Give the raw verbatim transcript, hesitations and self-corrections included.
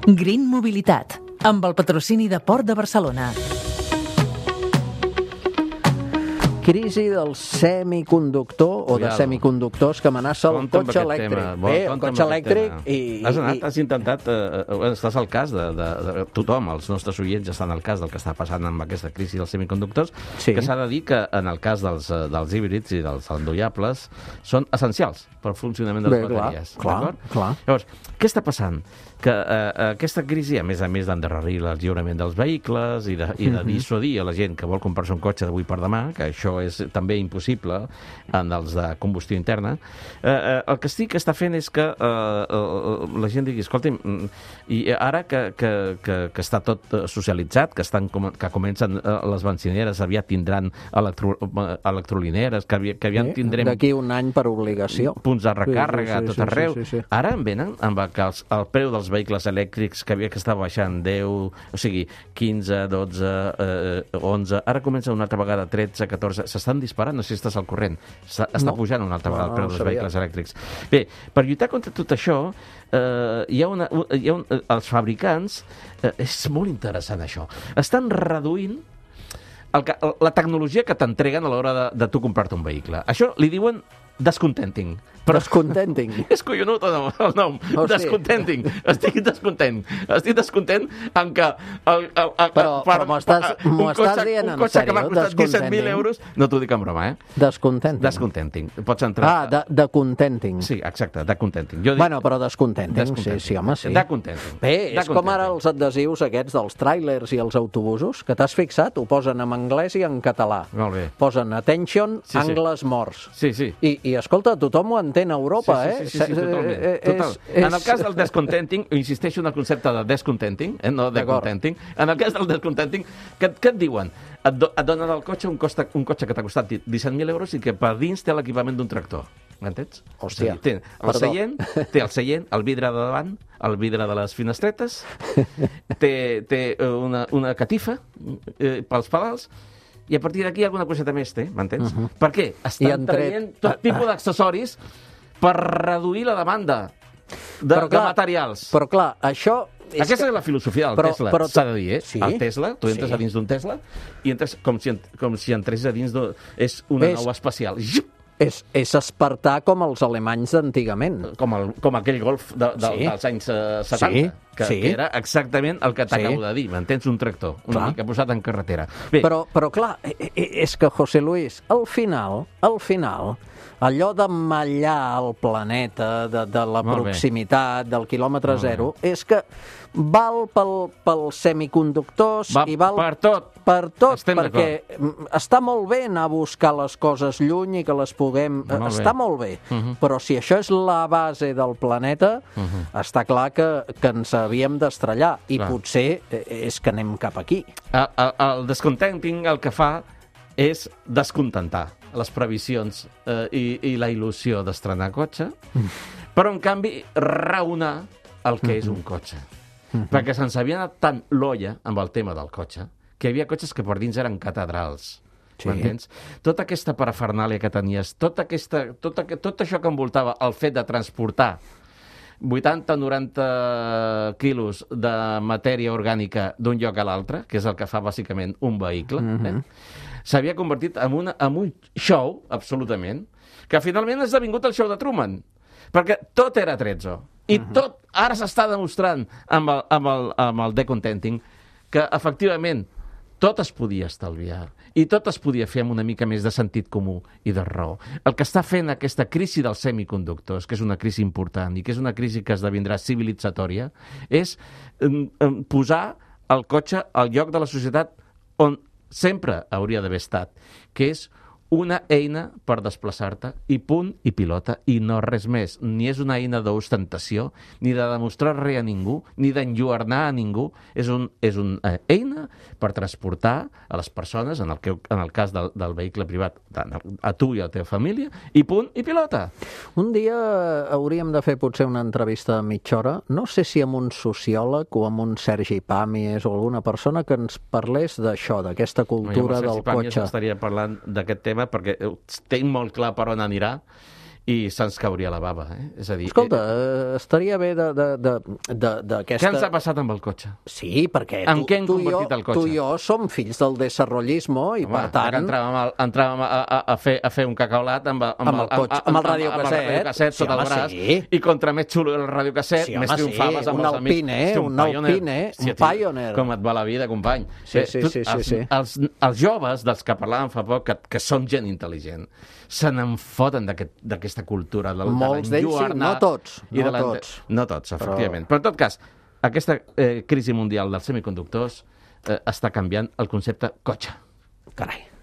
Green Mobilitat, amb el patrocini de Port de Barcelona. Crisi del semiconductor o de semiconductors que amenaça el cotxe elèctric. Bé, el cotxe elèctric i... Has anat, has intentat... Estàs al cas de tothom, els nostres oients estan al cas del que està passant amb aquesta crisi dels semiconductors, que s'ha de dir que en el cas dels híbrids i dels endollables són essencials per al funcionament de les bateries. Clar, clar. Llavors, què està passant? Que aquesta crisi, a més a més d'endarrerir el lliurament dels vehicles i de dissuadir a la gent que vol comprar-se un cotxe d'avui per demà, que això és també impossible en els de combustió interna, el que sí que està fent és que la gent digui, escolta'm, i ara que està tot socialitzat, que comencen les benzineres, aviat tindran electrolineres, que aviat tindrem... D'aquí un any per obligació. Punts de recàrrega a tot arreu. Ara en venen amb el preu dels vehicles elèctrics que havia que estar baixant deu, o sigui, quinze, dotze, onze, ara comença una altra vegada tretze, catorze, s'estan disparant, no sé si estàs al corrent, està pujant una altra vegada el preu dels vehicles elèctrics. Bé, per lluitar contra tot això, hi ha una, els fabricants, és molt interessant això, estan reduint la tecnologia que t'entreguen a l'hora de tu comprar-te un vehicle. Això li diuen descontenting. Descontenting. És collonut el nom. Descontenting. Estic descontent. Estic descontent en que... Però m'ho estàs dient en sèrio? Un cotxe que m'ha costat disset mil euros... No t'ho dic en broma, eh? Descontenting. Descontenting. Pots entrar... Ah, de contenting. Sí, exacte, de contenting. Bueno, però descontenting, sí, home, sí. De contenting. Bé, és com ara els adhesius aquests dels tràilers i els autobusos, que t'has fixat? Ho posen en anglès i en català. Molt bé. Posen attention, angles morts. Sí, sí. I, escolta, tothom ho entén a Europa, eh? Sí, sí, sí, totalment. En el cas del descontenting, insisteixo en el concepte de descontenting, no de contenting, en el cas del descontenting, què et diuen? Et donen al cotxe un cotxe que t'ha costat disset mil euros i que per dins té l'equipament d'un tractor. M'entens? Hòstia, té el seient, té el seient, el vidre de davant, el vidre de les finestretes, té una catifa pels pedals, i a partir d'aquí alguna coseta més té, m'entens? Uh -huh. Per què? Estan traient tot tipus d'accessoris per reduir la demanda de, clar, de materials. Però clar, això... És Aquesta que... és la filosofia del però, Tesla, s'ha de dir, eh? Sí? El Tesla, tu entres sí. a dins d'un Tesla i entres com si, com si entres a dins d'un... És una és... nau espacial. És, és espartà com els alemanys d'antigament. Com, el, com aquell Golf de, de, sí. dels anys uh, setanta, sí. Que, sí. que era exactament el que t'acabo sí. de dir, m'entens? Un tractor, una clar. mica posat en carretera. Bé. Però, però clar, és que, José Luis, al final, al final, allò de mallar el planeta, de, de la Molt proximitat, bé. del quilòmetre Molt zero, bé. és que val pel, pels semiconductors Va, i val per tot, per tot perquè està molt bé anar a buscar les coses lluny i que les puguem... Molt està bé. molt bé, uh -huh. però si això és la base del planeta, uh -huh. està clar que, que ens havíem d'estrellar i clar. potser és que anem cap aquí. El, el, el descontenting el que fa és descontentar les previsions eh, i, i la il·lusió d'estrenar cotxe, mm. però en canvi raonar el que mm -hmm. és un cotxe. Mm -hmm. Perquè se'ns havia anat tant l'olla amb el tema del cotxe que hi havia cotxes que per dins eren catedrals. Sí. M'entens? Tota aquesta parafernàlia que tenies, tota aquesta, tot, tot això que envoltava el fet de transportar vuitanta noranta quilos de matèria orgànica d'un lloc a l'altre, que és el que fa bàsicament un vehicle, mm-hmm. eh? s'havia convertit en, una, en un show, absolutament, que finalment ha esdevingut el show de Truman, perquè tot era attrezzo. I mm-hmm. tot ara s'està demostrant amb el, amb, el, amb el decontenting que, efectivament, tot es podia estalviar i tot es podia fer amb una mica més de sentit comú i de raó. El que està fent aquesta crisi dels semiconductors, que és una crisi important i que és una crisi que esdevindrà civilitzatòria, és posar el cotxe al lloc de la societat on sempre hauria d'haver estat, que és una eina per desplaçar-te i punt i pilota i no res més. Ni és una eina d'ostentació, ni de demostrar res a ningú, ni d'enlluernar a ningú. És, un, és una eina per transportar a les persones, en el, que, en el cas del, del vehicle privat, a tu i a la teva família, i punt i pilota. Un dia hauríem de fer potser una entrevista de mitja hora, no sé si amb un sociòleg o amb un Sergi Pàmies o alguna persona que ens parlés d'això, d'aquesta cultura del cotxe. Jo amb el Sergi Pàmies estaria parlant d'aquest tema perquè tinc molt clar per on anirà i se'ns cauria la bava. Eh? És a dir... Escolta, eh, estaria bé d'aquesta... Què ens ha passat amb el cotxe? Sí, perquè en tu, què hem tu, i jo, convertit el cotxe? tu i jo som fills del desarrollismo i, Home, per tant... entràvem, a, entràvem a, a, a, fer, a fer un cacaolat amb, amb, amb el, cotxe, amb, amb el radiocasset, sota el braç, sí. I contra més xulo el radiocasset, sí, més triomfaves sí. amb un els amics. Alpine, Hosti, un, un Pioneer. Alpine, Hòstia, un Pioneer. Com et va la vida, company. Sí, sí, tu, sí, sí, els, sí. Els, els joves, dels que parlàvem fa poc, que, que són gent intel·ligent, se n'enfoten d'aquesta aquest, cultura. De, Molts de d'ells sí, no tots. No, de tots. no tots, efectivament. Però... Però en tot cas, aquesta eh, crisi mundial dels semiconductors eh, està canviant el concepte cotxe. Carai.